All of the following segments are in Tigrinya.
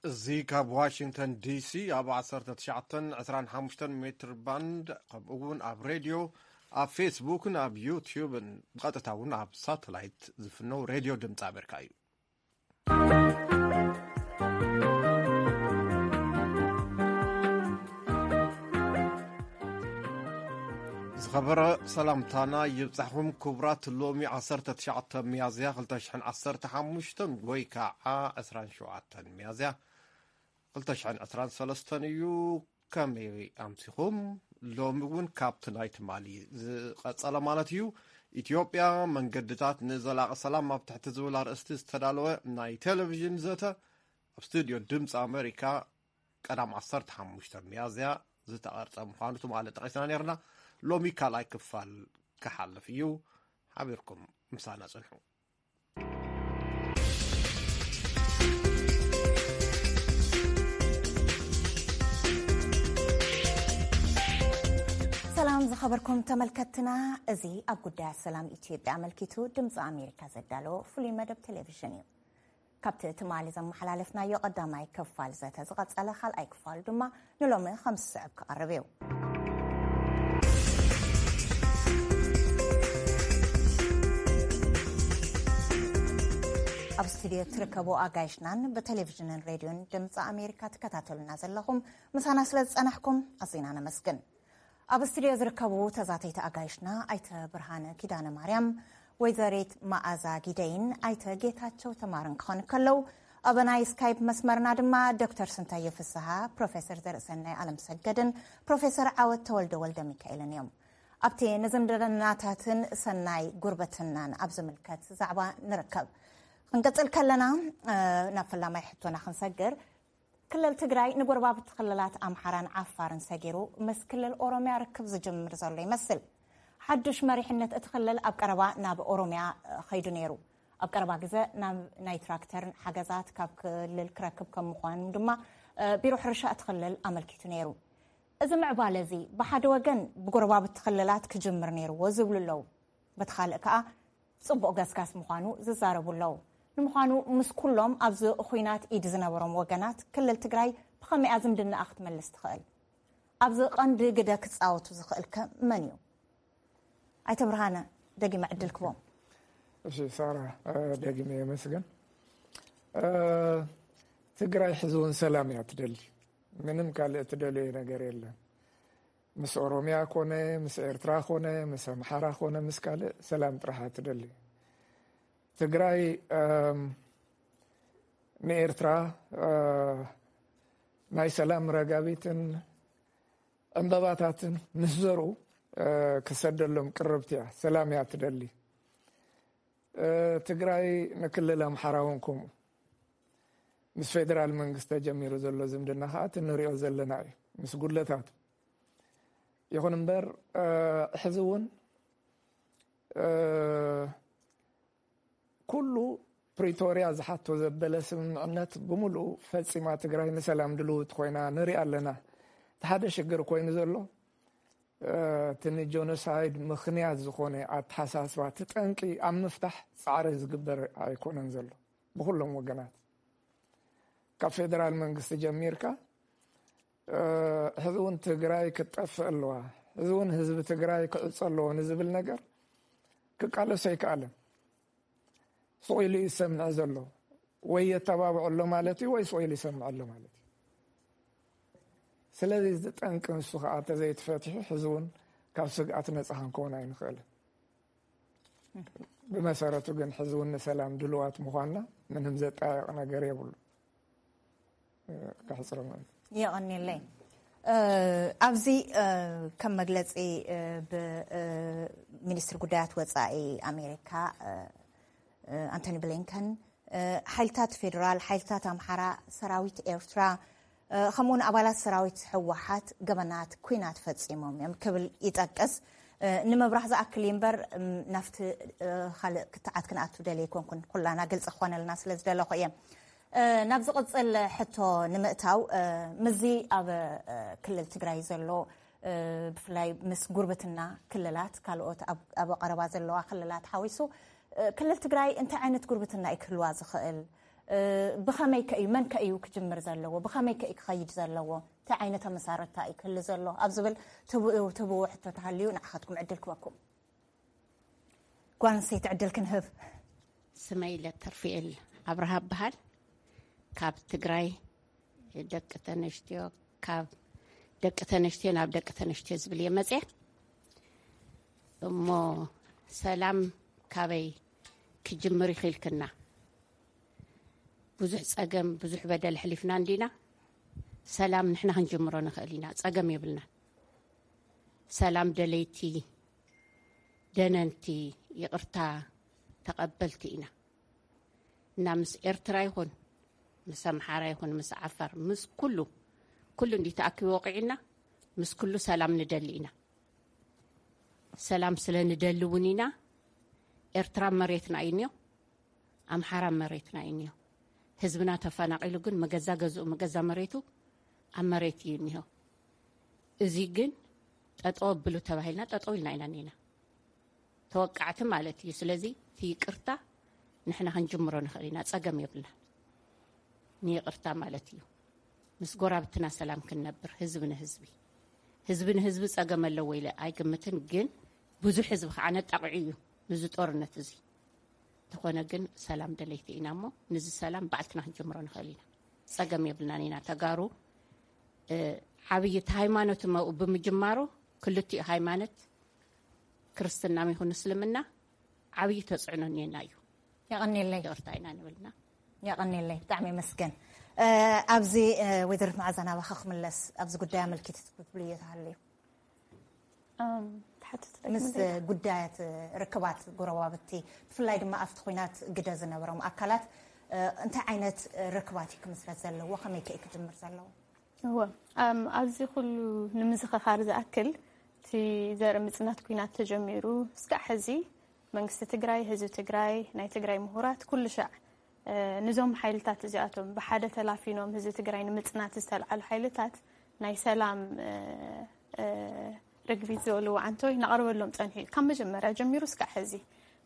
እዚ ካብ ዋሽንግተን ዲሲ ኣብ ዓሰርተ ትሽዓተን ዕስራን ሓሙሽተን ሜትር ባንድ፣ ከምኡ እውን ኣብ ሬድዮ፣ ኣብ ፌስቡክን ኣብ ዩትዩብን፣ ብቐጥታ እውን ኣብ ሳተላይት ዝፍነው ሬድዮ ድምፂ ኣሜሪካ እዩ። ዝኸበረ ሰላምታና ይብጻሕኩም ክቡራት። ሎሚ ዓሰርተ ትሽዓተ ሚያዝያ ክልተ ሽሕን ዓሰርተ ሓሙሽተን ወይ ከዓ ዕስራን ሸውዓተን ሚያዝያ ክልተ ሽሕን ዕስራን ሰለስተን እዩ። ከመይ ኣምሲኹም? ሎሚ እውን ካብቲ ናይ ትማሊ ዝቐጸለ ማለት እዩ። ኢትዮጵያ መንገድታት ንዘላቒ ሰላም ኣብ ትሕቲ ዝብል ኣርእስቲ ዝተዳለወ ናይ ቴሌቪዥን ዘተ ኣብ ስቱድዮ ድምፂ ኣሜሪካ ቀዳም ዓሰርተ ሓሙሽተ ሚያዝያ ዝተቐርጸ ምዃኑ ትማሊ ጠቒስና ነርና። ሎሚ ካልኣይ ክፋል ክሓልፍ እዩ። ሓቢርኩም ምሳና ጽንሑ። ሰላም ዝኸበርኩም ተመልከትና፣ እዚ ኣብ ጉዳያት ሰላም ኢትዮጵያ ኣመልኪቱ ድምፂ ኣሜሪካ ዘዳለዎ ፍሉይ መደብ ቴሌቪዥን እዩ። ካብቲ ትማሊ ዘመሓላለፍናዮ ቀዳማይ ክፋል ዘተ ዝቐጸለ ካልኣይ ክፋል ድማ ንሎሚ ከም ዝስዕብ ክቐርብ እዩ። ኣብ ስቱድዮ ትርከቡ ኣጋይሽናን ብቴሌቪዥንን ሬድዮን ድምፂ ኣሜሪካ ትከታተሉና ዘለኹም፣ ምሳና ስለ ዝጸናሕኩም ኣዚና ነመስግን። ኣብ ስቱድዮ ዝርከቡ ተዛተይቲ ኣጋይሽና ኣይተ ብርሃነ ኪዳነ ማርያም፣ ወይዘሪት መኣዛ ጊደይን ኣይተ ጌታቸው ተማርን ክኾኑ ከለዉ፣ ኣብ ናይ ስካይፕ መስመርና ድማ ዶክተር ስንታዮ ፍስሃ፣ ፕሮፌሰር ዘርእሰናይ ኣለምሰገድን ፕሮፌሰር ዓወት ተወልደ ወልደ ሚካኤልን እዮም። ኣብቲ ንዝምድናታትን ሰናይ ጉርብትናን ኣብ ዝምልከት ዛዕባ ንርከብ። ክንቅጽል ከለና፣ እ፣ ናብ ፈላማይ ሕቶና ክንሰግር፣ ክልል ትግራይ ንጎረባብቲ ክልላት ኣምሓራን ዓፋርን ሰጊሩ ምስ ክልል ኦሮምያ ርክብ ዝጅምር ዘሎ ይመስል። ሓዱሽ መሪሕነት እቲ ክልል ኣብ ቀረባ ናብ ኦሮምያ ኸይዱ ነይሩ። ኣብ ቀረባ ግዘ ናብ ናይ ትራክተር ሓገዛት ካብ ክልል ክረክብ ከም ምዃኑ ድማ፣ እ፣ ቢሮ ሕርሻ እቲ ክልል ኣመልኪቱ ነይሩ። እዚ ምዕባለ እዚ ብሓደ ወገን ብጎረባብቲ ክልላት ክጅምር ነይርዎ ዝብሉ ኣለዉ። በቲ ካልእ ከኣ ጽቡቕ ገስጋስ ምዃኑ ዝዛረቡ ኣለዉ። ንምዃኑ ምስ ኩሎም ኣብዚ ኹናት ኢድ ዝነበሮም ወገናት ክልል ትግራይ ብኸመይኣ ዝምድናኣ ክትመልስ ትኽእል? ኣብዚ ቀንዲ ግደ ክጻወቱ ዝኽእል ከ መን እዩ? ኣይተ ብርሃነ፣ ደጊመ ዕድል ክቦም። እሺ ሳራ፣ እ፣ ደጊመ የመስግን። እ፣ ትግራይ ሕዚ እውን ሰላም እያ ትደሊ። ምንም ካልእ ትደልዮ ነገር የለን። ምስ ኦሮምያ ኮነ፣ ምስ ኤርትራ ኮነ፣ ምስ ኣምሓራ ኮነ፣ ምስ ካልእ ሰላም ጥራሕ እያ ትደሊ። ትግራይ፣ እም፣ ንኤርትራ፣ እ፣ ናይ ሰላም ረጋቢትን ዕምበባታትን ምስ ዘርኡ፣ እ፣ ክሰደሎም ቅርብቲ እያ። ሰላም እያ ትደሊ። እ፣ ትግራይ ንክልል ኣምሓራ እውን ከምኡ። ምስ ፌደራል መንግስቲ ተጀሚሩ ዘሎ ዝምድና ከዓ እቲ ንሪኦ ዘለና እዩ፣ ምስ ጉድለታቱ። ይኹን እምበር፣ እ፣ ሕዚ እውን፣ እ፣ ኩሉ ፕሪቶርያ ዝሓቶ ዘበለ ስምምዕነት ብምሉኡ ፈጺማ ትግራይ ንሰላም ድልውቲ ኮይና ንሪኣ ኣለና። እቲ ሓደ ሽግር ኮይኑ ዘሎ፣ እ፣ እቲ ንጆኖሳይድ ምኽንያት ዝኾነ ኣተሓሳስባ፣ እቲ ጠንቂ ኣብ ምፍታሕ ጻዕሪ ዝግበር ኣይኮነን ዘሎ ብኹሎም ወገናት። ካብ ፌደራል መንግስቲ ጀሚርካ፣ እ፣ ሕዚ እውን ትግራይ ክትጠፍእ ኣለዋ፣ ሕዚ እውን ህዝቢ ትግራይ ክዕጾ ኣለዎ ንዝብል ነገር ክቃለስ ኣይከኣለን። ስቕ ኢሉ እዩ ዝሰምዕ ዘሎ። ወይ የተባብዖ ኣሎ ማለት እዩ፣ ወይ ስቕ ኢሉ ይሰምዕ ኣሎ ማለት እዩ። ስለዚ እዚ ጠንቂ ንሱ ከዓ እንተዘይተፈቲሑ፣ ሕዚ እውን ካብ ስግኣት ነፃ ክንከውን ኣይንኽእልን። ብመሰረቱ ግን ሕዚ እውን ንሰላም ድልዋት ምዃንና ምንም ዘጠያይቕ ነገር የብሉ። እ፣ ከሕፅሮ ማለት እዩ። የቐንየለይ። እ፣ ኣብዚ፣ እ፣ ከም መግለፂ፣ እ፣ ብ-፣ እ፣ ሚኒስትሪ ጉዳያት ወፃኢ ኣሜሪካ፣ እ፣ እ፣ ኣንቶኒ ብሊንከን፣ እ፣ ሓይልታት ፌዴራል፣ ሓይልታት ኣምሓራ፣ ሰራዊት ኤርትራ፣ እ፣ ከምኡውን ኣባላት ሰራዊት ህወሓት ገበናት ኲናት ፈጺሞም እዮም ክብል ይጠቅስ። እ፣ ንምብራህ ዝኣክል እዩ እምበር፣ እም፣ ናብቲ፣ እ፣ ካልእ ክትዓት ክንኣቱ ደልየ ኣይኮንኩን፣ ኩላና ግልጺ ክኾነልና ስለ ዝደለኹ እየ። እ፣ ናብ ዝቕጽል ሕቶ ንምእታው፣ እ፣ ምስዚ ኣብ፣ እ፣ ክልል ትግራይ ዘሎ፣ እ፣ ብፍላይ ምስ ጉርብትና ክልላት፣ ካልኦት ኣብ፣ ኣብ ቀረባ ዘለዋ ክልላት ሓዊሱ፣ እ፣ ክልል ትግራይ እንታይ ዓይነት ጉርብትና እዩ ክህልዋ ዝኽእል? ብኸመይ ከ እዩ፣ መን ከ እዩ ክጅምር ዘለዎ፣ ብኸመይ ከ እዩ ክኸይድ ዘለዎ፣ እንታይ ዓይነት ኣመሳረታ እዩ ክህሉ ዘሎ ኣብ ዝብል ትብኡ ትብዎ ሕቶ ተሃልዩ ንዓኻትኩም ዕድል ክበኩም። ጓል ኣንስተይቲ ዕድል ክንህብ። ስመይ ለተርፍኤል ኣብርሃ በሃል። ካብ ትግራይ ደቂ ተነሽትዮ፣ ካብ ደቂ ተነሽትዮ ናብ ደቂ ተነሽትዮ ዝብል እየ መፅያ። እሞ ሰላም ካበይ ክጅምር ይኽልክና? ብዙሕ ፀገም፣ ብዙሕ በደል ሕሊፍና እንዲና። ሰላም ንሕና ክንጅምሮ ንኽእል ኢና፣ ፀገም የብልና። ሰላም ደለይቲ፣ ደነንቲ፣ ይቕርታ ተቐበልቲ ኢና። እና ምስ ኤርትራ ይኹን፣ ምስ ኣምሓራ ይኹን፣ ምስ ዓፋር፣ ምስ ኩሉ፣ ኩሉ እንዲ ተኣኪቡ ወቂዕና፣ ምስ ኩሉ ሰላም ንደሊ ኢና። ሰላም ስለ ንደሊ እውን ኢና። ኤርትራ መሬትና እዩ እኒኦ፣ ኣምሓራ መሬትና እዩ እኒኦ። ህዝብና ተፈናቒሉ ግን መገዛ ገዝኡ፣ መገዛ መሬቱ ኣብ መሬት እዩ እኒሆ። እዚ ግን ጠጠው ኣብሉ ተባሂልና ጠጠው ኢልና ኢና እኒና። ተወቃዕቲ ማለት እዩ። ስለዚ እቲ ይቅርታ ንሕና ክንጅምሮ ንኽእል ኢና፣ ጸገም የብልና። ንይቅርታ ማለት እዩ። ምስ ጎራብትና ሰላም ክንነብር፣ ህዝቢ ንህዝቢ። ህዝቢ ንህዝቢ ጸገም ኣለዎ ኢለ ኣይግምትን፣ ግን ብዙሕ ህዝቢ ከዓ ነጣቕዑ እዩ ንዚ ጦርነት እዚ። ተኾነ ግን ሰላም ደለይቲ ኢና እሞ፣ ንዚ ሰላም ባዕልትና ክንጅምሮ ንኽእል ኢና። ጸገም የብልናን ኢና። ተጋሩ፣ እ፣ ዓብዪ እቲ ሃይማኖት መ-፣ ብምጅማሩ፣ ክልቲኡ ሃይማኖት፣ ክርስትና ይኹን እስልምና፣ ዓብዪ ተጽዕኖ እኒኤና እዩ። የቐንየለይ። ይቕርታ ኢና ንብልና። የቐንየለይ፣ ብጣዕሚ የመስገን። እ፣ ኣብዚ፣ እ፣ ወይዘሪት መዓዛ ናባኻ ክምለስ፣ ኣብዚ ጉዳይ ኣመልኪቱ ትብልዮ ተሃልዩ። እም፣ ትሓትት ምስ ደግመለይ። ጉዳያት ርክባት ጎረባብቲ፣ ብፍላይ ድማ ኣብቲ ኹናት ግደ ዝነበሮም ኣካላት፣ እ፣ እንታይ ዓይነት ርክባት እዩ ክምስረት ዘለዎ? ከመይ ከ እዩ ክጅምር ዘለዎ? እወ፣ እም፣ ኣብዚ ኩሉ ንምዝኽኻር ዝኣክል፣ እቲ ዘርኢ ምጽናት ኲናት ተጀሚሩ እስካዕ ሕዚ መንግስቲ ትግራይ፣ ህዝቢ ትግራይ፣ ናይ ትግራይ ምሁራት፣ ኩሉ ሻዕ፣ እ፣ ንዞም ሓይልታት እዚኣቶም ብሓደ ተላፊኖም ህዝቢ ትግራይ ንምጽናት ዝተልዓሉ ሓይልታት ናይ ሰላም፣ እ፣ እ፣ ርግቢት ዝበልዎ ዓንቶይ እናቐረበሎም ጸኒሑ እዩ። ካብ መጀመርያ ጀሚሩ እስካዕ ሕዚ።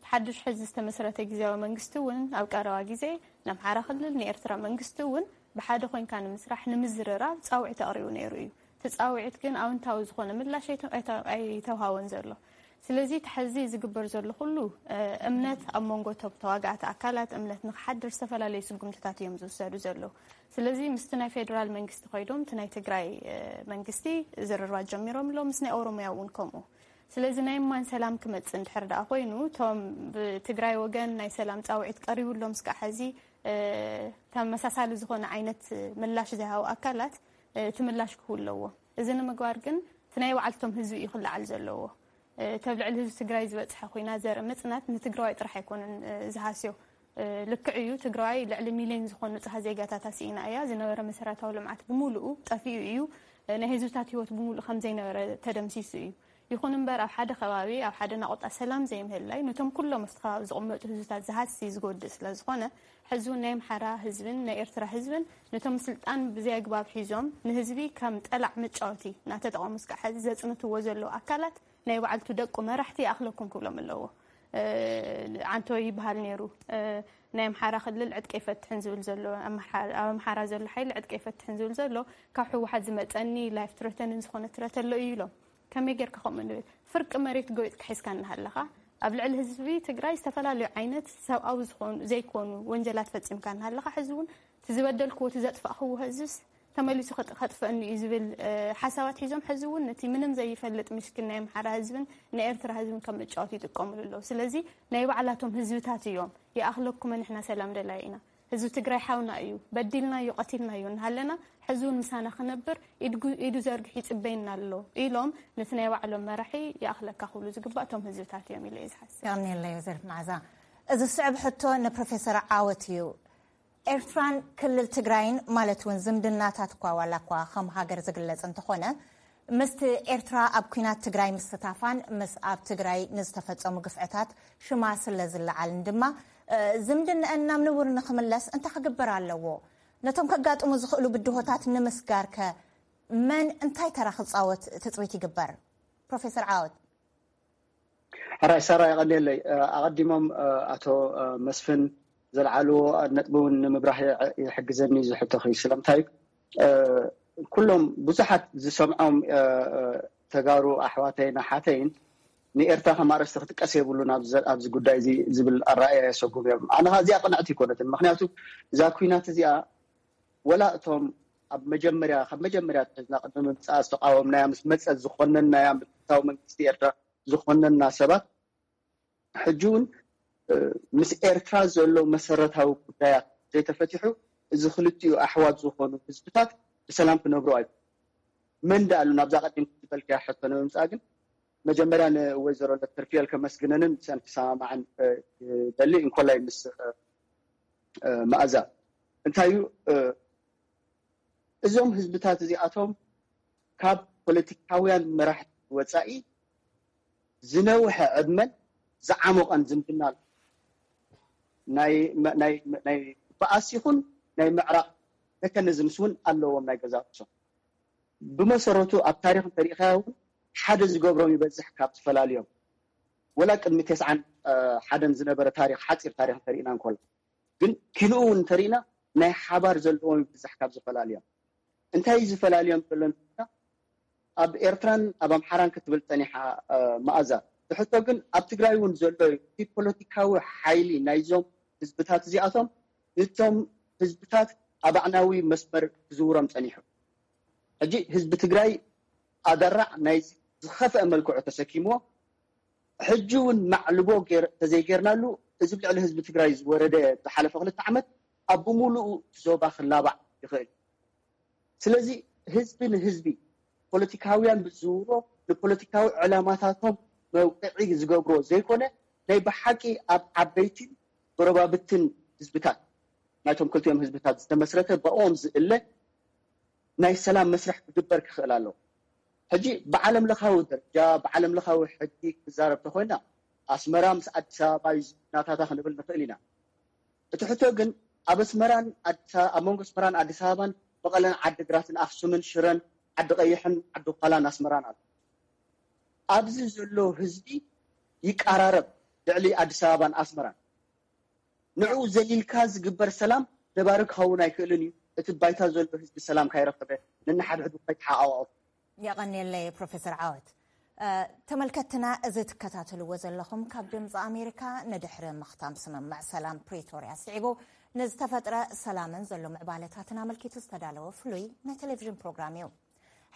ብሓድሽ ሕዚ ዝተመስረተ ግዝያዊ መንግስቲ እውን ኣብ ቀረባ ግዜ ንኣምሓራ ክልል፣ ንኤርትራ መንግስቲ እውን ብሓደ ኮይንካ ንምስራሕ፣ ንምዝርራብ ጻውዒት ኣቕሪቡ ነይሩ እዩ። እቲ ጻውዒት ግን ኣውንታዊ ዝኾነ ምላሽ ኣይተ-፣ ኣይተ-፣ ኣይተውሃቦን ዘሎ። ስለዚ እቲ ሕዚ ዝግበር ዘሎ ኩሉ፣ እ፣ እምነት ኣብ መንጎ ቶም ተዋጋእቲ ኣካላት እምነት ንክሓድር ዝተፈላለዩ ስጉምትታት እዮም ዝውሰዱ ዘለዉ። ስለዚ ምስቲ ናይ ፌደራል መንግስቲ ኮይዶም እቲ ናይ ትግራይ፣ እ፣ መንግስቲ ዝርርባት ጀሚሮም ኣለዉ፣ ምስ ናይ ኦሮሚያ እውን ከምኡ። ስለዚ ናይ እማን ሰላም ክመጽእ እንድሕር ደኣ ኮይኑ፣ እቶም ብትግራይ ወገን ናይ ሰላም ጻውዒት ቀሪቡሎም እስካዕ ሕዚ፣ እ፣ ተመሳሳሊ ዝኾነ ዓይነት ምላሽ ዝሃቡ ኣካላት፣ እ፣ እቲ ምላሽ ክህቡ ኣለዎ። እዚ ንምግባር ግን እቲ ናይ ባዕልቶም ህዝቢ እዩ ክለዓል ዘለዎ። እ፣ እቲ ኣብ ልዕሊ ህዝቢ ትግራይ ዝበጽሐ ኹናት ዘርኢ ምጽናት ንትግራዋይ ጥራሕ ኣይኮነን፣ እ፣ ዝሃስዮ። እ፣ ልክዕ እዩ፣ ትግራዋይ ልዕሊ ሚልዮን ዝኾኑ ንጹሃት ዜጋታታ ስኢና እያ። ዝነበረ መሰረታዊ ልምዓት ብምሉኡ ጠፊኡ እዩ። እ፣ ናይ ህዝብታት ህይወት ብምሉኡ ከም ዘይነበረ ተደምሲሱ እዩ። ይኹን እምበር ኣብ ሓደ ከባቢ፣ ኣብ ሓደ ናቑጣ ሰላም ዘይምህላይ፣ ነቶም ኩሎም ኣብቲ ከባቢ ዝቕመጡ ህዝብታት ዝሃሲ፣ ዝጎድእ ስለ ዝኾነ፣ ሕዚ እውን ናይ ኣምሓራ ህዝብን ናይ ኤርትራ ህዝብን ነቶም ስልጣን ብዘይ ኣግባብ ሒዞም ንህዝቢ ከም ጠላዕ መጫወቲ እናተጠቐሙ እስካዕ ሕዚ ዘጽንትዎ ዘለዉ ኣካላት ናይ ባዕልቱ ደቁ መራሕቲ ይኣኽለኩም ክብሎም ኣለዎ። እ፣ ዓንቶ ይበሃል ነይሩ። እ፣ ናይ ኣምሓራ ክልል ዕጥቂ ኣይፈትሕን ዝብል ዘሎ፣ ኣምሓ-፣ ኣብ ኣምሓራ ዘሎ ሓይሊ ዕጥቂ ኣይፈትሕን ዝብል ዘሎ፣ ካብ ህወሓት ዝመጸኒ ላይፍ ትረተንን ዝኾነ ትረት ኣሎ እዩ ኢሎም። ከመይ ጌርካ ከምኡ ንብል? ፍርቂ መሬት ጎይጥካ ሒዝካ እናሃለኻ፣ ኣብ ልዕሊ ህዝቢ ትግራይ ዝተፈላለዩ ዓይነት ሰብኣዊ ዝኾኑ፣ ዘይኮኑ ወንጀላት ፈጺምካ እናሃለኻ፣ ሕዚ እውን እቲ ዝበደልክዎ፣ እቲ ዘጥፋእክዎ ህዝብስ ተመሊሱ ከጥ-፣ ከጥፍአኒ እዩ ዝብል፣ እ፣ ሓሳባት ሒዞም፣ ሕዚ እውን ነቲ ምንም ዘይፈልጥ ምስኪን ናይ ኣምሓራ ህዝብን ናይ ኤርትራ ህዝብን ከም መጫወቲ ይጥቀሙሉ ኣለዉ። ስለዚ ናይ ባዕላቶም ህዝብታት እዮም፣ "ይኣኽለኩመ፣ ንሕና ሰላም ደላይ ኢና፣ ህዝቢ ትግራይ ሓውና እዩ፣ በዲልናዮ፣ ቀቲልናዮ እናሃለና፣ ሕዚ እውን ምሳና ክነብር ኢድጉ-፣ ኢዱ ዘርግሑ ይጽበየና ኣሎ" ኢሎም ነቲ ናይ ባዕሎም መራሒ "ይኣኽለካ" ክብሉ ዝግባእ እቶም ህዝብታት እዮም ኢለ እየ ዝሓስብ። የቐንየለይ ወይዘሪት መዓዛ። እዚ ዝስዕብ ሕቶ ንፕሮፌሰር ዓወት እዩ። ኤርትራን ክልል ትግራይን ማለት እውን ዝምድናታት እኳ ዋላ እኳ ከም ሃገር ዝግለጽ እንተኾነ፣ ምስቲ ኤርትራ ኣብ ኲናት ትግራይ ምስታፋን ምስ ኣብ ትግራይ ንዝተፈጸሙ ግፍዕታት ሽማ ስለ ዝለዓልን ድማ፣ እ፣ ዝምድንአን ናብ ንቡር ንኽምለስ እንታይ ክግበር ኣለዎ? ነቶም ከጋጥሙ ዝኽእሉ ብድሆታት ንምስጋር ከ መን እንታይ ተራ ክጻወት ትጽቢት ይግበር? ፕሮፌሰር ዓወት። ሕራይ ሳራ፣ የቐንየለይ። እ፣ ኣቐዲሞም፣ እ፣ ኣቶ፣ እ፣ መስፍን ዘልዓልዎ ነጥቢ እውን ንምብራህ ይሕግዘኒ ዝሕቶኺ። ስለምንታይ ኩሎም ብዙሓት ዝሰምዖም ተጋሩ ኣሕዋተይን ኣሓተይን ንኤርትራ ከም ኣርእስቲ ክጥቀስ የብሉን ኣብዚ ጉዳይ እዚ ዝብል ኣረኣእያ የሰጉም እዮም። ኣነ እዚኣ ቅንዕቲ ኣይኮነትን። ምክንያቱ እዛ ኩናት እዚኣ ወላ እቶም ኣብ መጀመርያ ካብ መጀመርያ ትሕዝና ቅድሚ ምምፃኣ ዝተቃወምናያ ምስ መፀት ዝኾነናያ ምልክታዊ መንግስቲ ኤርትራ ዝኾነና ሰባት ሕጂ እውን ምስ ኤርትራ ዘሎ መሰረታዊ ጉዳያት ዘይተፈቲሑ እዚ ክልቲኡ ኣሕዋት ዝኾኑ ህዝብታት ብሰላም ክነብሩ ኣይ መን ደኣሉ ናብዛ ቀዲም ዝበልክያ ሕቶ ንምምፃእ ግን መጀመርያ ንወይዘሮ ለተርፊኤል ከመስግነንን ምስአን ክሰማማዕን ደሊ እንኮላይ ምስ መኣዛ እንታይ እዩ እዞም ህዝብታት እዚኣቶም ካብ ፖለቲካውያን መራሕቲ ወፃኢ ዝነውሐ ዕድመን ዝዓሞቐን ዝምድና ኣሎ። ናይ ባኣስ ይኹን ናይ ምዕራቕ መካኒዝምስ እውን ኣለዎም ናይ ገዛ ርእሶም። ብመሰረቱ ኣብ ታሪኽ እንተሪኢኻዮ እውን ሓደ ዝገብሮም ይበዝሕ ካብ ዝፈላልዮም። ወላ ቅድሚ ተስዓን ሓደን ዝነበረ ታሪኽ ሓፂር ታሪኽ እንተሪእና እንኮላ ግን ኪንኡ እውን እንተሪእና ናይ ሓባር ዘለዎም ይብዝሕ ካብ ዝፈላልዮም። እንታይ ዝፈላልዮም ዘሎ እንተሪእና ኣብ ኤርትራን ኣብ ኣምሓራን ክትብል ፀኒሓ መኣዛ። ብሕቶ ግን ኣብ ትግራይ እውን ዘሎ እቲ ፖለቲካዊ ሓይሊ ናይዞም ህዝብታት እዚኣቶም እቶም ህዝብታት ኣብ ኣዕናዊ መስመር ክዝውሮም ፀኒሑ። ሕጂ ህዝቢ ትግራይ ኣደራዕ ናይ ዝኸፍአ መልክዑ ተሰኪምዎ ሕጂ እውን ማዕልቦ ተዘይጌርናሉ እዚ ልዕሊ ህዝቢ ትግራይ ዝወረደ ዝሓለፈ ክልተ ዓመት ኣብ ብምሉኡ ዞባ ክላባዕ ይኽእል። ስለዚ ህዝቢ ንህዝቢ ፖለቲካውያን ብዝውሮ ንፖለቲካዊ ዕላማታቶም መውቅዒ ዝገብሮ ዘይኮነ ናይ ብሓቂ ኣብ ዓበይትን ጎረባብትን ህዝብታት ናይቶም ክልቲኦም ህዝብታት ዝተመስረተ ብኦም ዝእለ ናይ ሰላም መስርሕ ክግበር ክኽእል ኣለዎ። ሕጂ ብዓለም ለኻዊ ደረጃ ብዓለም ለኻዊ ሕጊ ክዛረብ ተኮይና ኣስመራ ምስ ኣዲስ ኣበባ እዩ ዝናታታ ክንብል ንኽእል ኢና። እቲ ሕቶ ግን ኣብ ኣስመራን ኣብ መንጎ ኣስመራን ኣዲስ ኣበባን መቐለን ዓዲግራትን ኣክሱምን ሽረን ዓዲ ቀይሕን ዓዲ ኳላን ኣስመራን ኣሎ። ኣብዚ ዘሎ ህዝቢ ይቀራረብ ልዕሊ ኣዲስ ኣበባን ኣስመራን። ንዕኡ ዘሊልካ ዝግበር ሰላም ነባሪ ክኸውን ኣይክእልን እዩ። እቲ ባይታ ዘሎ ህዝቢ ሰላም ካይረኸበ ነንሓድሕዱ ካይተሓቃቀፉ። የቐንየለይ ፕሮፌሰር ዓወት። ተመልከትና እዚ ትከታተልዎ ዘለኹም ካብ ድምፂ ኣሜሪካ ንድሕሪ ምኽታም ስምምዕ ሰላም ፕሪቶርያ ስዒቡ ንዝተፈጥረ ሰላምን ዘሎ ምዕባለታትን ኣመልኪቱ ዝተዳለወ ፍሉይ ናይ ቴሌቪዥን ፕሮግራም እዩ።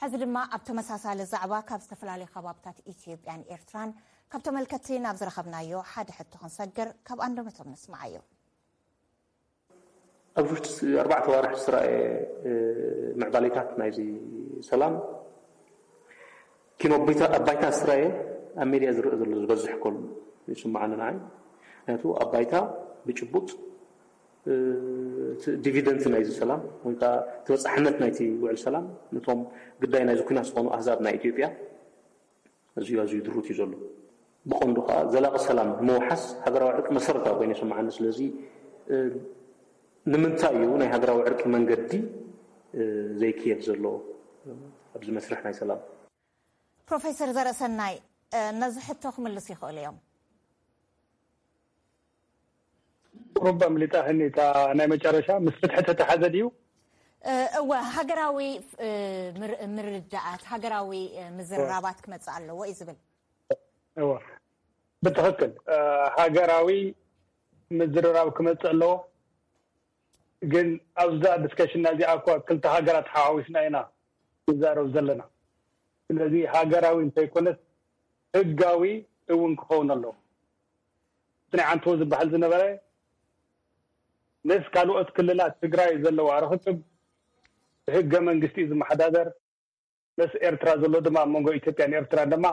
ሕዚ ድማ ኣብ ተመሳሳሊ ዛዕባ ካብ ዝተፈላለዩ ከባብታት ኢትዮጵያን ኤርትራን ካብ ተመልከትቲ ናብ ዝረኸብናዮ ሓደ ሕቶ ክንሰግር ካብ ኣንደበቶም ንስምዓዮ። ኣብዚ ውሽጢ ኣርባዕተ ኣዋርሕ ዝተራእየ ምዕባሌታት ናይዚ ሰላም ኪኖ ኣብ ባይታ ዝተራእየ ኣብ ሜድያ ዝረአ ዘሎ ዝበዝሕ ኮል ይስምዓኒ ንዓይ። ምክንያቱ ኣብ ባይታ ብጭቡጥ እቲ ዲቪደንት ናይዚ ሰላም ወይ ከዓ ተበፃሕነት ናይቲ ውዕል ሰላም ነቶም ግዳይ ናይዚ ኩናት ዝኾኑ ኣህዛብ ናይ ኢትዮጵያ ኣዝዩ ኣዝዩ ድሩት እዩ ዘሎ። ብቐንዱ ከዓ ዘላቒ ሰላም ንምውሓስ ሃገራዊ ዕርቂ መሰረታዊ ኮይኑ ይስምዓኒ። ስለዚ ንምንታይ እዩ ናይ ሃገራዊ ዕርቂ መንገዲ ዘይክየድ ዘሎ ኣብዚ መስርሕ ናይ ሰላም? ፕሮፌሰር ዘርእሰናይ ነዚ ሕቶ ክምልሱ ይኽእሉ እዮም። ቁሩብ ኣምሊጣ ህኒ እታ ናይ መጨረሻ ምስ ፍትሒ ተተሓዘ ድዩ? እወ ሃገራዊ ምርዳኣት ሃገራዊ ምዝርራባት ክመፅእ ኣለዎ እዩ ዝብል። እወ ብትኽክል ሃገራዊ ምዝርራብ ክመፅእ ኣለዎ። ግን ኣብዛ ዲስከሽንና እዚኣ እኳ ክልተ ሃገራት ሓዋዊስና ኢና ንዛረብ ዘለና። ስለዚ ሃገራዊ እንተይኮነስ ህጋዊ እውን ክኸውን ኣለዎ። እቲ ናይ ዓንተቦ ዝበሃል ዝነበረ ምስ ካልኦት ክልላት ትግራይ ዘለዋ ርኽክብ ብህገ መንግስቲ እዩ ዝመሓዳደር። ምስ ኤርትራ ዘሎ ድማ ኣብ መንጎ ኢትዮጵያን ኤርትራን ድማ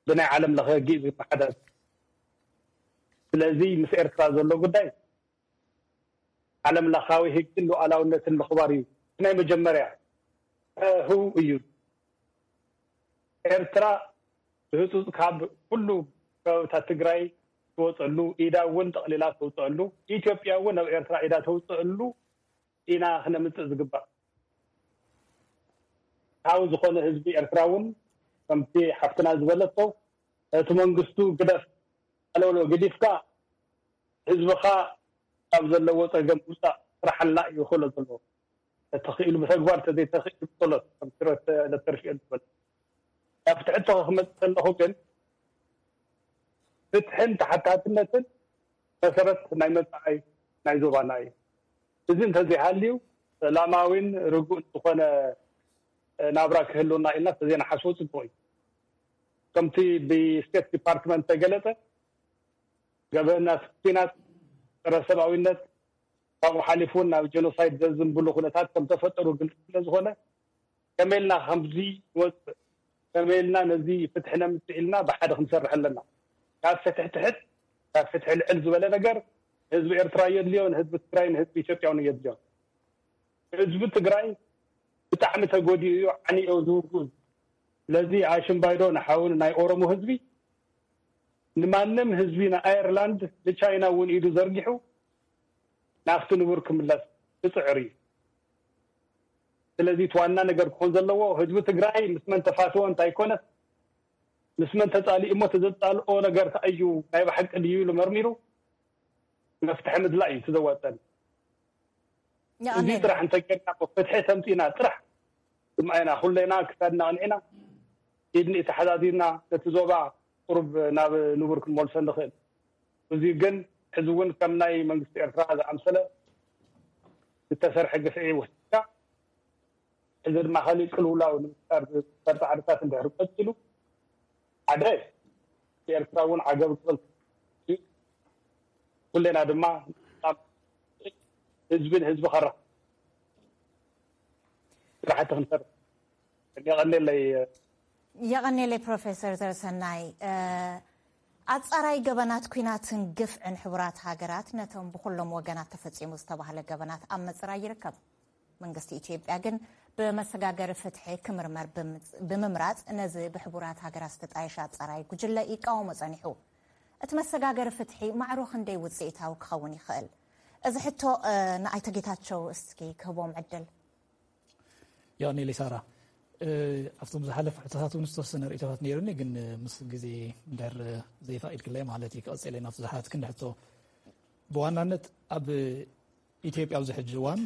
ብናይ ዓለም ለኸ ህጊ እዩ ዝመሓዳደር። ስለዚ ምስ ኤርትራ ዘሎ ጉዳይ ዓለም ለኻዊ ህግን ሉዓላውነትን ምኽባር እዩ። ናይ መጀመርያ ህው እዩ። ኤርትራ ብህፁፅ ካብ ኩሉ ከባብታት ትግራይ ትወፀሉ ኢዳ እውን ጠቕሊላ ተውፀሉ ኢትዮጵያ እውን ኣብ ኤርትራ ኢዳ ተውፀሉ ኢና ክነምፅእ ዝግባእ። ሓው ዝኾነ ህዝቢ ኤርትራ እውን ከምቲ ሓፍትና ዝበለቶ እቲ መንግስቱ ግደፍ ኣለውሎ ግዲፍካ ህዝብኻ ካብ ዘለዎ ጸገም ምውፃእ ስራሕና እዩ ክእሎ ዘለዎ። ተተኽኢሉ ብተግባር ተዘይተኽኢሉ ብጸሎት ከም ስረት ለተርሽኤል ዝበለ። ናብ ፍትሒ እንተ ክመጽእ ከለኹ ግን ፍትሕን ተሓታትነትን መሰረት ናይ መጻኢ ናይ ዞባና እዩ። እዚ እንተዘይሃልዩ ሰላማዊን ርጉእን ዝኾነ ናብራ ክህልወና ኢልና ተዘይንሓስቦ ጽቡቕ እዩ። ከምቲ ብስቴት ዲፓርትመንት ተገለጸ ገበናት ኩናት፣ ጸረ ሰብኣዊነት፣ ካብኡ ሓሊፉ እውን ናብ ጀኖሳይድ ዘዝንብሉ ኩነታት ከም ተፈጠሩ ግልፂ ስለ ዝኾነ ከመይ ኢልና ከምዚ ንወፅእ፣ ከመይ ኢልና ነዚ ፍትሒ ነምፅእ ኢልና ብሓደ ክንሰርሕ ኣለና። ካብ ፍትሒ ትሕት ካብ ፍትሒ ልዕል ዝበለ ነገር ህዝቢ ኤርትራ የድልዮ፣ ንህዝቢ ትግራይ ንህዝቢ ኢትዮጵያ እውን የድልዮ። ህዝቢ ትግራይ ብጣዕሚ ተጎዲኡ እዩ፣ ዓንዮ ዝውግኡ። ስለዚ ኣሽምባይዶ ንሓውን ናይ ኦሮሞ ህዝቢ ንማንም ህዝቢ ንኣየርላንድ ንቻይና እውን ኢዱ ዘርጊሑ ናብቲ ንቡር ክምለስ ክፅዕር እዩ። ስለዚ እቲ ዋና ነገር ክኾን ዘለዎ ህዝቢ ትግራይ ምስ መን ተፋትወ እንታይ ኮነስ ምስ መን ተፃሊኡ እሞ ተዘፃልኦ ነገር እንታይ እዩ ናይ ብሓቂ ድዩ ኢሉ መርሚሩ መፍትሒ ምድላእ እዩ እቲ ዘዋፀን። እዚ ጥራሕ እንተጌርና ፍትሒ ተምፂና ጥራሕ ድማ ኢና ኩለና ክሳድና ኣቕኒዕና ኢድ ንኢድ ተሓዛዚርና ነቲ ዞባ ቁሩብ ናብ ንቡር ክንመልሶ ንኽእል። እዚ ግን ሕዚ እውን ከም ናይ መንግስቲ ኤርትራ ዝኣምሰለ ዝተሰርሐ ግፍዒ ወሲድካ ሕዚ ድማ ካሊእ ቅልውላው ንምፍጣር ዝግበር ፃዕርታት እንድሕር ቀፂሉ ሓደ ኤርትራ እውን ዓገብ ክብል ኩሌና ድማ ህዝብን ህዝቢ ከራ ስራሕቲ ክንሰርሕ የቐኔለይ። የቐኔለይ ፕሮፌሰር ዘርሰናይ። ኣጻራይ ገበናት ኩናትን ግፍዕን ሕቡራት ሃገራት ነቶም ብኩሎም ወገናት ተፈጺሙ ዝተባህለ ገበናት ኣብ ምጽራይ ይርከብ። መንግስቲ ኢትዮጵያ ግን ብመሰጋገሪ ፍትሒ ክምርመር ብምምራጽ ነዚ ብሕቡራት ሃገራት ዝተጣየሸ ኣጻራይ ጉጅለ ይቃወሞ ጸኒሑ። እቲ መሰጋገሪ ፍትሒ ማዕሮ ክንደይ ውጽኢታዊ ክኸውን ይኽእል? እዚ ሕቶ ንኣይተ ጌታቸው እስኪ ክህቦም ዕድል። ያኔ ሌሳራ ኣብቶም ዝሓለፉ ሕቶታት እውን ዝተወሰነ ርእቶታት ነይሩኒ፣ ግን ምስ ግዜ እንድሕር ዘይፈቒድክለይ ማለት እዩ ክቐፅል ናብቲ ዝሓትክን ሕቶ። ብዋናነት ኣብ ኢትዮጵያ ኣብዚ ሕጂ እዋን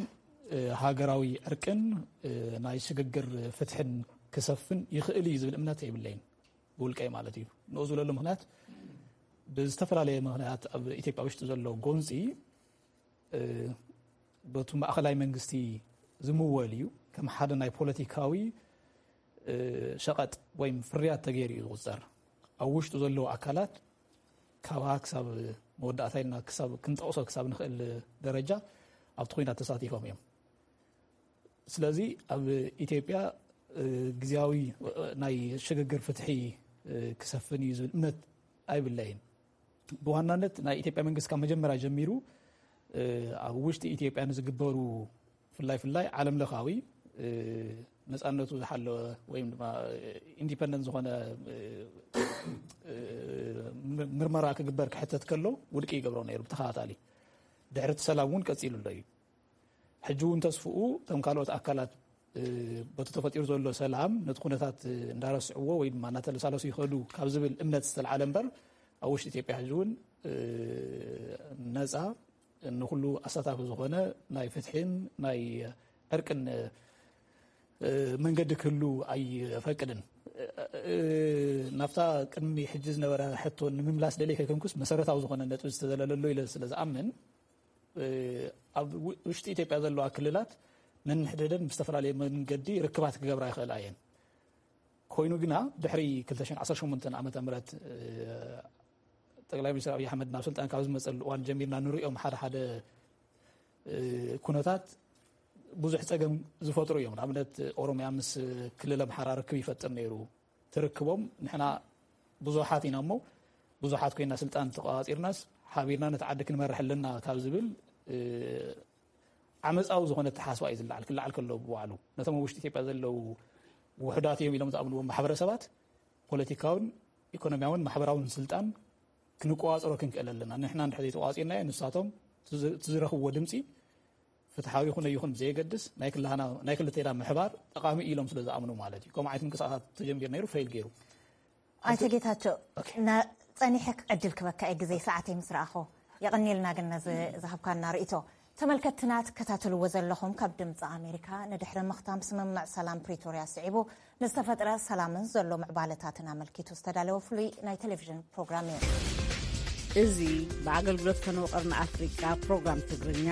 ሃገራዊ ዕርቅን ናይ ሽግግር ፍትሕን ክሰፍን ይኽእል እዩ ዝብል እምነት የብለይን፣ ብውልቀይ ማለት እዩ። ንኡ ዝብለሉ ምክንያት ብዝተፈላለየ ምክንያት ኣብ ኢትዮጵያ ውሽጢ ዘሎ ጎንፂ በቱ ማእኸላይ መንግስቲ ዝምወል እዩ። ከም ሓደ ናይ ፖለቲካዊ ሸቐጥ ወይም ፍርያት ተገይሩ እዩ ዝቑፀር። ኣብ ውሽጡ ዘለዉ ኣካላት ካብ ሃ ክሳብ መወዳእታ ኢልና ክሳብ ክንጠቕሶ ክሳብ ንኽእል ደረጃ ኣብቲ ኩናት ተሳቲፎም እዮም። ስለዚ ኣብ ኢትዮጵያ ግዝያዊ ናይ ሽግግር ፍትሒ ክሰፍን እዩ ዝብል እምነት ኣይብለይን። ብዋናነት ናይ ኢትዮጵያ መንግስቲ ካብ መጀመርያ ጀሚሩ ኣብ ውሽጢ ኢትዮጵያ ንዝግበሩ ፍላይ ፍላይ ዓለም ለኻዊ ነፃነቱ ዝሓለወ ወይም ድማ ኢንዲፐንደንት ዝኾነ ምርመራ ክግበር ክሕተት ከሎ ውድቂ ይገብሮ ነይሩ ብተኸታታሊ። ድሕሪ እቲ ሰላም እውን ቀፂሉ ኣሎ እዩ። ሕጂ እውን ተስፍኡ እቶም ካልኦት ኣካላት በቲ ተፈጢሩ ዘሎ ሰላም ነቲ ኩነታት እንዳረስዕዎ ወይ ድማ እናተለሳለሱ ይኸዱ ካብ ዝብል እምነት ዝተልዓለ እምበር ኣብ ውሽጢ ኢትዮጵያ ሕጂ እውን ነፃ ንኩሉ ኣሳታፊ ዝኾነ ናይ ፍትሒን ናይ ዕርቅን መንገዲ ክህሉ ኣይፈቅድን። ናብታ ቅድሚ ሕጂ ዝነበረ ሕቶ ንምምላስ ደልየ ከይኮንኩስ መሰረታዊ ዝኾነ ነጥቢ ዝተዘለለሉ ኢለ ስለ ዝኣምን ኣብ ውሽጢ ኢትዮጵያ ዘለዋ ክልላት ነንሕደደን ብዝተፈላለየ መንገዲ ርክባት ክገብራ ይኽእላ እየን። ኮይኑ ግና ድሕሪ ክልተ ሽሕን ዓሰርተ ሸሞንተን ዓመተ ምህረት ጠቅላይ ሚኒስትር ኣብይ ኣሕመድ ናብ ስልጣን ካብ ዝመፀሉ እዋን ጀሚርና ንሪኦም ሓደ ሓደ ኩነታት ብዙሕ ፀገም ዝፈጥሩ እዮም። ንኣብነት ኦሮሚያ ምስ ክልል ኣምሓራ ርክብ ይፈጥር ነይሩ። ትርክቦም ንሕና ብዙሓት ኢና እሞ ብዙሓት ኮይና ስልጣን ተቋፂርናስ ሓቢርና ነቲ ዓዲ ክንመርሕ ኣለና ካብ ዝብል ዓመፃዊ ዝኾነ ተሓስባ እዩ ዝለዓል። ክለዓል ከሎ ብባዕሉ ነቶም ኣብ ውሽጢ ኢትዮጵያ ዘለዉ ውሑዳት እዮም ኢሎም ዝኣምንዎም ማሕበረሰባት ፖለቲካውን ኢኮኖሚያውን ማሕበራውን ስልጣን ክንቆፃፀሮ ክንክእል ኣለና። ንሕና እንድሕር ዘይተቋፂርናዮ ንሳቶም እቲ ዝረኽብዎ ድምፂ ፍትሓዊ ይኹን ኣይኹን ብዘየገድስ ናይ ክልተና ናይ ክልቴና ምሕባር ጠቓሚ ኢሎም ስለ ዝኣምኑ ማለት እዩ። ከምኡ ዓይነት ምንቅስቃሳት ተጀሚሩ ነይሩ፣ ፌል ገይሩ። ኣይተ ጌታቸው ጸኒሐ ዕድል ክበካ እየ ግዜ ሰዓተይ ምስ ረኣኹ። የቐንየልና ግን ነዚ ዝሃብካና ርእይቶ። ተመልከትትና ትከታተልዎ ዘለኹም ካብ ድምፂ ኣሜሪካ። ንድሕሪ ምኽታም ስምምዕ ሰላም ፕሪቶርያ ስዒቡ ንዝተፈጥረ ሰላምን ዘሎ ምዕባለታትን ኣመልኪቱ ዝተዳለወ ፍሉይ ናይ ቴሌቪዥን ፕሮግራም እዩ። እዚ ብኣገልግሎት ፈነወ ቀርኒ ኣፍሪቃ ፕሮግራም ትግርኛ፣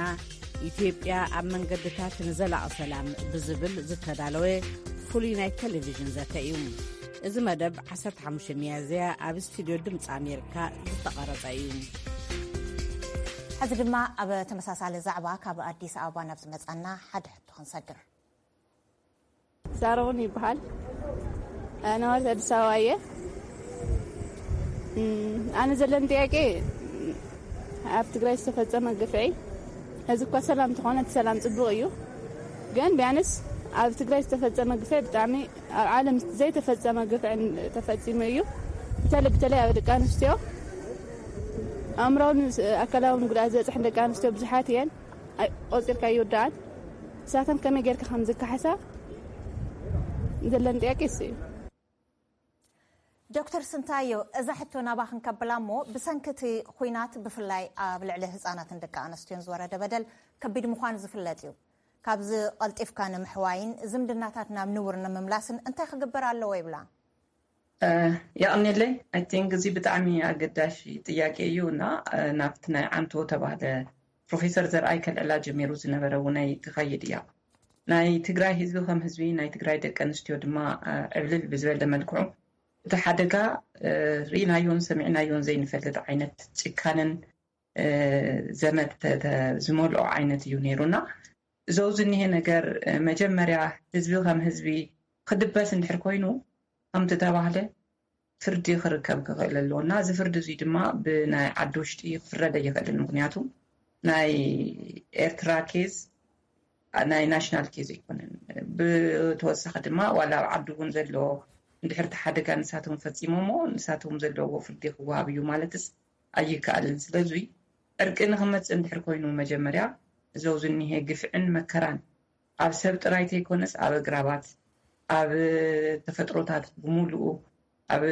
ኢትዮጵያ ኣብ መንገድታት ንዘላቒ ሰላም ብዝብል ዝተዳለወ ፍሉይ ናይ ቴሌቪዥን ዘተ እዩ። እዚ መደብ ዓሰርተ ሓሙሽተ ሚያዝያ ኣብ ስቱድዮ ድምፂ ኣሜሪካ ዝተቐረጸ እዩ። ሕዚ ድማ ኣብ ተመሳሳሊ ዛዕባ ካብ ኣዲስ ኣበባ ናብ ዝመጻና ሓደ ሕቶ ክንሰግር። ሳሮን ይበሃል። ነዋሪ ኣዲስ ኣበባ እየ። እም፣ ኣነ ዘለኒ ጥያቄ፣ ኣብ ትግራይ ዝተፈጸመ ግፍዒ፣ እዚ እኳ ሰላም እንተኾነ፣ እቲ ሰላም ጽቡቕ እዩ። ግን ቢያንስ ኣብ ትግራይ ዝተፈጸመ ግፍዒ ብጣዕሚ ኣብ ዓለም ዘይተፈጸመ ግፍዒ ተፈጺሙ እዩ። በተለይ፣ በተለይ ኣብ ደቂ ኣንስትዮ፣ ኣእምራውን ኣካላውን ጉድኣት ዝበፅሐን ደቂ ኣንስትዮ ብዙሓት እየን። ኣይ-፣ ቆፂርካ ኣይውዳኣን። ንሳተን ከመይ ጌርካ ከም ዝከሓሳ ዘለኒ ጥያቄ እሱ እዩ። ዶክተር ስንታዮ፣ እዛ ሕቶ ናባኽን ከብላ እሞ፣ ብሰንኪ እቲ ኹናት ብፍላይ ኣብ ልዕሊ ህጻናትን ደቂ ኣንስትዮን ዝወረደ በደል ከቢድ ምዃኑ ዝፍለጥ እዩ። ካብዚ ቀልጢፍካ ንምሕዋይን ዝምድናታት ናብ ንቡር ንምምላስን እንታይ ክግበር ኣለዎ ይብላ? የቕንየለይ። I think እዚ ብጣዕሚ ኣገዳሺ ጥያቄ እዩ እና ናብቲ ናይ ዓንቶ ተባህለ ፕሮፌሰር ዘርኣይ ከልዕላ ጀሚሩ ዝነበረ እውን ናይ ትኸይድ እያ። ናይ ትግራይ ህዝቢ ከም ህዝቢ፣ ናይ ትግራይ ደቂ ኣንስትዮ ድማ ዕብልል ብዝበለ መልክዑ እቲ ሓደጋ ርኢናዮን ሰሚዕናዮን ዘይንፈልጥ ዓይነት ጭካንን ዘመት ዝመልኦ ዓይነት እዩ ነይሩና። እዞ ዝኒሄ ነገር መጀመርያ ህዝቢ ከም ህዝቢ ክድበስ እንድሕር ኮይኑ፣ ከምቲ ተባህለ ፍርዲ ክርከብ ክኽእል ኣለዎ እና እዚ ፍርዲ እዙይ ድማ ብናይ ዓዲ ውሽጢ ክፍረድ ኣይኽእልን። ምክንያቱ ናይ ኤርትራ ኬዝ ናይ ናሽናል ኬዝ ኣይኮነን። ብተወሳኺ ድማ ዋላ ኣብ ዓዲ እውን ዘሎ እንድሕር ተሓደጋ ንሳቶም ፈፂሞሞ ንሳቶም ዘለዎ ፍርዲ ክወሃብ እዩ ማለትስ ኣይከኣልን። ስለዚ ዕርቂ ንክመፅእ እንድሕር ኮይኑ መጀመርያ እዞ ዝኒሄ ግፍዕን መከራን ኣብ ሰብ ጥራይ ተይኮነስ ኣብ ኣግራባት፣ ኣብ ተፈጥሮታት ብምሉኡ፣ ኣብ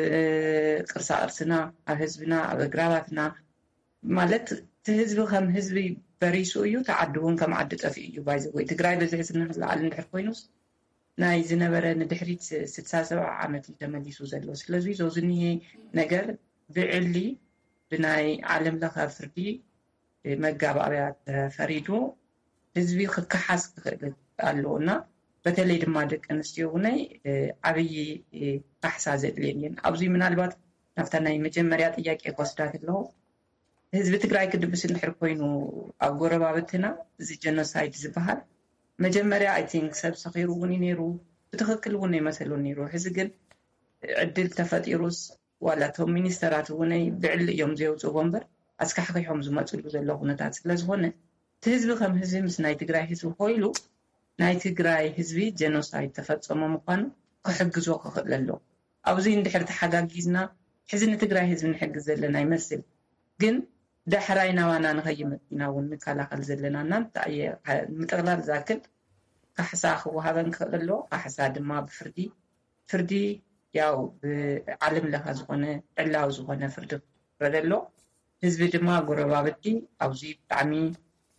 ቅርሳ ቅርስና፣ ኣብ ህዝብና፣ ኣብ ኣግራባትና ማለት እቲ ህዝቢ ከም ህዝቢ በሪሱ እዩ፣ እቲ ዓዲ እውን ከም ዓዲ ጠፊኡ እዩ። ባይዘወይ ትግራይ በዚ ሕዚ እናተለዓለ እንድሕር ኮይኑስ ናይ ዝነበረ ንድሕሪት ስድሳ ሰብዓ ዓመት እዩ ተመሊሱ ዘሎ። ስለዚ ዞ ዝኒሄ ነገር ብዕሊ ብናይ ዓለም ለኸ ፍርዲ መጋባእያ ተፈሪዱ ህዝቢ ክከሓስ ክኽእል ኣለዎ እና በተለይ ድማ ደቂ ኣንስትዮ እውነይ ዓብዪ ካሕሳ ዘድልየን እየን። ኣብዚ ምናልባት ናብታ ናይ መጀመርያ ጥያቄ ክወስዳ ከለኹ ህዝቢ ትግራይ ክድብስ እንድሕር ኮይኑ ኣብ ጎረባብትና እዚ ጀኖሳይድ ዝበሃል መጀመርያ I think ሰብ ሰኺሩ እውን እዩ ነይሩ፣ ብትኽክል እውን ኣይመሰሉን ነይሩ። ሕዚ ግን ዕድል ተፈጢሩስ ዋላ እቶም ሚኒስተራት እውን ብዕሊ እዮም ዘየውፅእዎ እምበር ኣስካሕኪሖም ዝመፅሉ ዘሎ ኩነታት ስለዝኾነ እቲ ህዝቢ ከም ህዝቢ ምስ ናይ ትግራይ ህዝቢ ኮይሉ ናይ ትግራይ ህዝቢ ጀኖሳይድ ተፈፀሞ ምዃኑ ክሕግዞ ክኽእል ኣለዎ። ኣብዚ እንድሕር ተሓጋጊዝና ሕዚ ንትግራይ ህዝቢ ንሕግዝ ዘለና ይመስል፣ ግን ዳሕራይ ናባና ንኸይመፅና እውን ንከላኸል ዘለና እና እንታይ እየ ንምጥቕላል ዝኣክል ካሕሳ ክወሃበን ክኽእል ኣለዎ። ካሕሳ ድማ ብፍርዲ ፍርዲ ያው ብዓለም ለኸ ዝኾነ ዕላዊ ዝኾነ ፍርዲ ክረደ ኣሎ። ህዝቢ ድማ ጎረባብቲ ኣብዚ ብጣዕሚ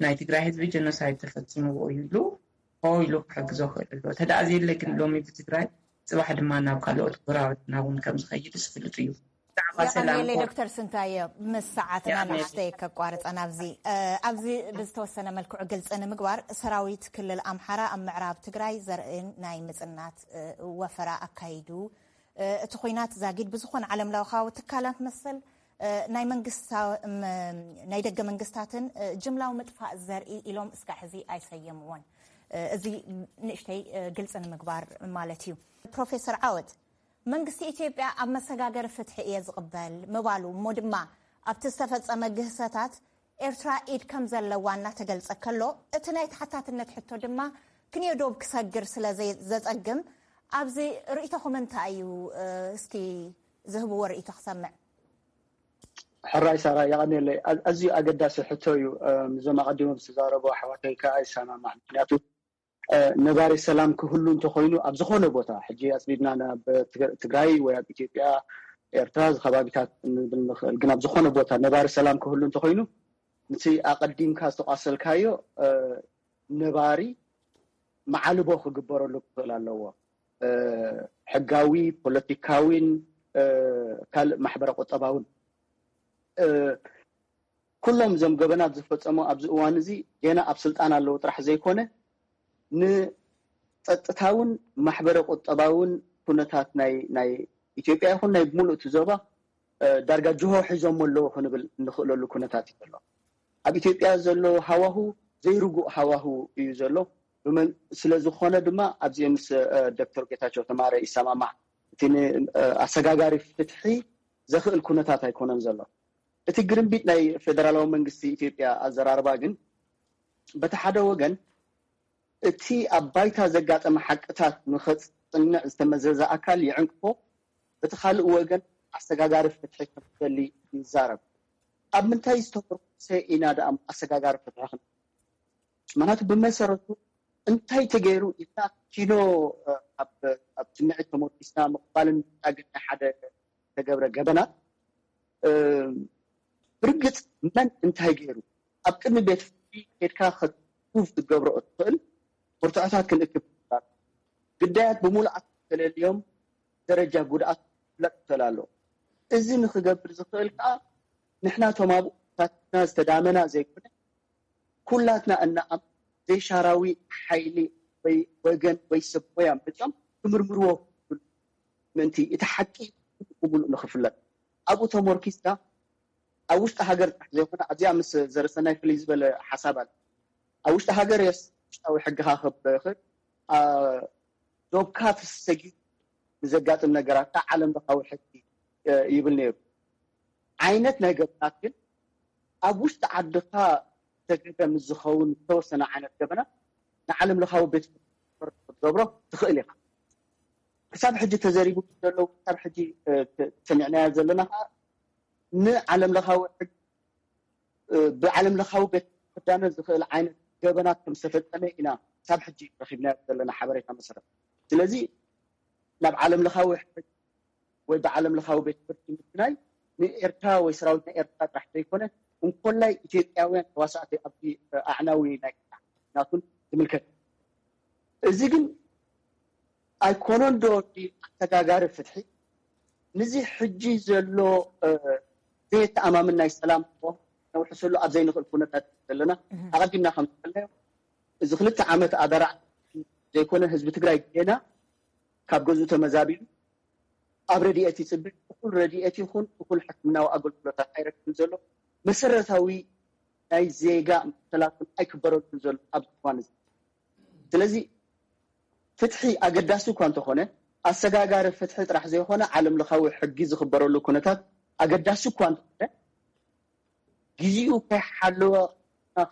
ናይ ትግራይ ህዝቢ ጀኖሳይድ ተፈፂምዎ እዩ ኢሉ ሆ ኢሉ ክሕግዞ ክእል ኣሎ። ተደኣ ዘየለ ግን ሎሚ ብትግራይ ፅባሕ ድማ ናብ ካልኦት ጎረባብትና እውን ከም ዝኸይድ ዝፍልጥ እዩ። ብዛዕባ ሰላም የቐንየለይ ኮ- ዶክተር ስንታየ፣ ምስ ሰዓትና የቐንየለይ። ንእሽተይ ከቋርፀና ኣብዚ እ፣ ኣብዚ ብዝተወሰነ መልክዑ ግልፂ ንምግባር ሰራዊት ክልል ኣምሓራ ኣብ ምዕራብ ትግራይ ዘርእን ናይ ምፅናት እ፣ ወፈራ ኣካይዱ። እ፣ እቲ ኹናት ዛጊድ ብዝኾነ ዓለም ለኻዊ ትካላት መሰል እ፣ ናይ መንግስታ ም- ናይ ደገ መንግስታትን እ፣ ጅምላዊ ምጥፋእ ዘርኢ ኢሎም እስካዕ ሕዚ ኣይሰየምዎን። እ፣ እዚ ንእሽተይ እ፣ ግልፂ ንምግባር ማለት እዩ። ፕሮፌሰር ዓወት፣ መንግስቲ ኢትዮጵያ ኣብ መሰጋገሪ ፍትሒ እየ ዝቕበል ምባሉ እሞ ድማ ኣብቲ ዝተፈጸመ ግህሰታት ኤርትራ ኢድ ከም ዘለዋ እናተገልጸ ከሎ፣ እቲ ናይ ተሓታትነት ሕቶ ድማ ክንዮ ዶብ ክሰግር ስለ ዘይ- ዘጸግም፣ ኣብዚ ርእይቶኹም እንታይ እዩ? እ፣ እስኪ ዝህብዎ ርእይቶ ክሰምዕ። ሕራይ ሳራ፣ የቐንየለይ። ኣዝዩ ኣገዳሲ ሕቶ እዩ። እዞም ኣቐዲሞም ዝተዛረቡ ኣሕዋተይ ከኣ ይሰማማዕ። ምክንያቱ ነባሪ ሰላም ክህሉ እንተኮይኑ ኣብ ዝኾነ ቦታ፣ ሕጂ ኣፅቢብና ናብ ትግራይ ወይ ኣብ ኢትዮጵያ፣ ኤርትራ፣ ከባቢታት ንብል ንኽእል፣ ግን ኣብ ዝኾነ ቦታ ነባሪ ሰላም ክህሉ እንተኮይኑ እቲ ኣቐዲምካ ዝተቋሰልካዮ ነባሪ መዓልቦ ክግበረሉ ክኽእል ኣለዎ። ሕጋዊ፣ ፖለቲካዊን ካልእ ማሕበረ ቁጠባውን ኩሎም እዞም ገበናት ዝፈፀሙ ኣብዚ እዋን እዚ ገና ኣብ ስልጣን ኣለዉ ጥራሕ ዘይኮነ፣ ንፀጥታውን ማሕበረ ቁጠባውን ኩነታት ናይ ናይ ኢትዮጵያ ይኹን ናይ ሙሉእ እቲ ዞባ ዳርጋ ጅሆ ሒዞሞ ኣለዉ ክንብል እንኽእለሉ ኩነታት እዩ ዘሎ። ኣብ ኢትዮጵያ ዘሎ ሃዋሁ ዘይርጉእ ሃዋሁ እዩ ዘሎ። ስለዝኾነ ድማ ኣብዚ ምስ ዶክተር ጌታቸው ተማረ ይሰማማዕ። እቲ ኣሰጋጋሪ ፍትሒ ዘኽእል ኩነታት ኣይኮነን ዘሎ። እቲ ግርምቢጥ ናይ ፌደራላዊ መንግስቲ ኢትዮጵያ ኣዘራርባ ግን በቲ ሓደ ወገን እቲ ኣብ ባይታ ዘጋጠመ ሓቅታት ንኸፅንዕ ዝተመዘዘ ኣካል ይዕንቅፎ፣ በቲ ካልእ ወገን ኣሰጋጋሪ ፍትሒ ከም ዝደሊ ይዛረብ። ኣብ ምንታይ ዝተመርኮሰ ኢና ደኣ ኣሰጋጋሪ ፍትሒ ክን ምክንያቱ ብመሰረቱ እንታይ ተገይሩ ኢልና ኪኖ ኣብ ትምዒት ተመርኪስና ምቕባልን ምፍጣግን ናይ ሓደ ተገብረ ገበናት ብርግፅ መን እንታይ ገይሩ ኣብ ቅድሚ ቤት ፍርዲ ኬድካ ክትፕሩቭ ክትገብሮ እትኽእል መርትዖታት ክንእክብ ግዳያት ብምሉኣት ተለልዮም ደረጃ ጉድኣት ክፍለጥ ይኽእል ኣሎ። እዚ ንክገብር ዝኽእል ከዓ ንሕና ቶም ኣብኡ ታትና ዝተዳመና ዘይኮነ ኩላትና እናኣም ዘይሻራዊ ሓይሊ ወይ ወገን ወይ ሰብ ሞያ መፅኦም ክምርምርዎ ምእንቲ እቲ ሓቂ ብምሉእ ንክፍለጥ ኣብኡ ተመርኪስካ ኣብ ውሽጢ ሃገር ጥራሕ ዘይኮነ ኣብዚኣ ምስ ዘረሰናይ ፍልይ ዝበለ ሓሳብ ኣለ። ኣብ ውሽጢ ሃገር የስ ውሽጣዊ ሕግኻ ክበኽር ዶብካ ተሰጊ ንዘጋጥም ነገራት ዓለም ለኻዊ ሕጊ ይብል ነይሩ። ዓይነት ናይ ገበናት ግን ኣብ ውሽጢ ዓድኻ ተገደ ምስ ዝኸውን ዝተወሰነ ዓይነት ገበናት ንዓለም ለኻዊ ቤት ክትገብሮ ትኽእል ኢኻ። ክሳብ ሕጂ ተዘሪቡ ዘለዉ ክሳብ ሕጂ ሰሚዕናያ ዘለና ከዓ ንዓለም ለኻዊ ሕጊ ብዓለም ለኻዊ ቤት ክዳነ ዝኽእል ዓይነት ገበናት ከም ዝተፈጸመ ኢና ክሳብ ሕጂ ረኺብና ዘለና ሓበሬታ መሰረት። ስለዚ ናብ ዓለም ለኻዊ ሕጊ ወይ ብዓለም ለኻዊ ቤት ፍርዲ ምፍናይ ንኤርትራ ወይ ሰራዊት ናይ ኤርትራ ጥራሕ ዘይኮነ እንኮላይ ኢትዮጵያውያን ተዋሳእቲ ኣብዚ ኣዕናዊ ናይ ናቱን ዝምልከት። እዚ ግን ኣይኮነን ዶ ኣሰጋጋሪ ፍትሒ? ንዚ ሕጂ ዘሎ ዘየተኣማምን ናይ ሰላም ነውሕሰሉ ኣብ ዘይንኽእል ኩነታት ዘለና ኣቐዲምና ከም ዝፈልናዮ እዚ ክልተ ዓመት ኣደራ ዘይኮነ ህዝቢ ትግራይ ገና ካብ ገዝኡ ተመዛቢሉ ኣብ ረድኤት ይፅብቅ። እኩል ረድኤት ይኹን እኩል ሕክምናዊ ኣገልግሎታት ኣይረክብን ዘሎ። መሰረታዊ ናይ ዜጋ መሰላትን ኣይክበረሉን ዘሎ ኣብዚ እዋን እዚ። ስለዚ ፍትሒ ኣገዳሲ እኳ እንተኾነ ኣሰጋጋሪ ፍትሒ ጥራሕ ዘይኮነ ዓለም ለኻዊ ሕጊ ዝኽበረሉ ኩነታት ኣገዳሲ እኳ እንተኾነ ግዜኡ ከይሓለወ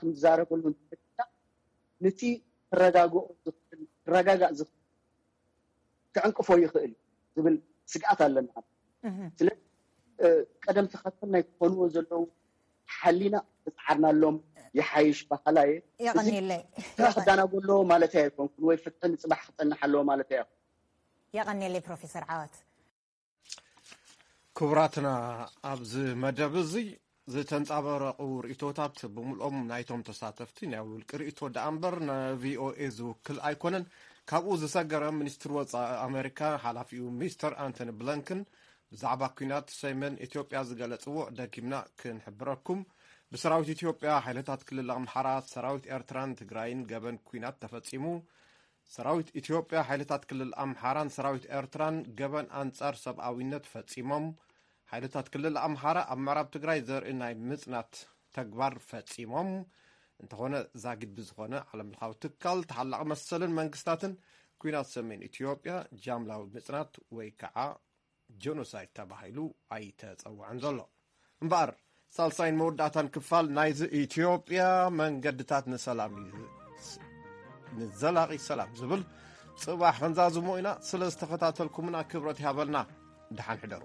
ክንዛረበሉ እንተለና ነቲ ክረጋግኦ ዝኽእል ክረጋጋእ ዝኽእል ክዕንቅፎ ይኽእል ዝብል ስግኣት ኣለና። ስለዚ ቀደም ተኸተል ናይ ክኾንዎ ዘለዉ ሓሊና ዝፀዓርናሎም ይሓይሽ ባህላ እየ። የቐንየለይ። ክዳናጎ ኣለዎ ማለት ኣይኮንኩን ወይ ፍትሒ ንፅባሕ ክፀንሕ ኣለዎ ማለት እያ። የቐንየለይ ፕሮፌሰር ዓወት። ክቡራትና ኣብዚ መደብ እዚ ዝተንጻበረቑ ርእቶታት ብምልኦም ናይቶም ተሳተፍቲ ናይ ውልቂ ርእቶ ደኣ እምበር ንቪኦኤ ዝውክል ኣይኮነን። ካብኡ ዝሰገረ ሚኒስትሪ ወጻኢ ኣሜሪካ ሓላፊኡ ሚስተር ኣንቶኒ ብለንክን ብዛዕባ ኲናት ሰሜን ኢትዮጵያ ዝገለጽዎ ደጊምና ክንሕብረኩም። ብሰራዊት ኢትዮጵያ፣ ሓይልታት ክልል ኣምሓራ፣ ሰራዊት ኤርትራን ትግራይን ገበን ኲናት ተፈጺሙ። ሰራዊት ኢትዮጵያ፣ ሓይልታት ክልል ኣምሓራን ሰራዊት ኤርትራን ገበን ኣንጻር ሰብኣዊነት ፈጺሞም። ሓይልታት ክልል ኣምሓራ ኣብ ምዕራብ ትግራይ ዘርኢ ናይ ምጽናት ተግባር ፈጺሞም። እንተኾነ ዛጊድ ብዝኾነ ዓለምለኻዊ ትካል ተሓላቒ መሰልን መንግስታትን ኲናት ሰሜን ኢትዮጵያ ጃምላዊ ምጽናት ወይ ከዓ ጀኖሳይድ ተባሂሉ ኣይተጸውዐን ዘሎ። እምበኣር ሳልሳይን መወዳእታን ክፋል ናይዚ ኢትዮጵያ መንገድታት ንሰላም እዩ ንዘላቒ ሰላም ዝብል ጽባሕ ክንዛዝሞ ኢና። ስለ ዝተኸታተልኩምና ክብረት ይሃበልና። ደሓን ሕደሩ።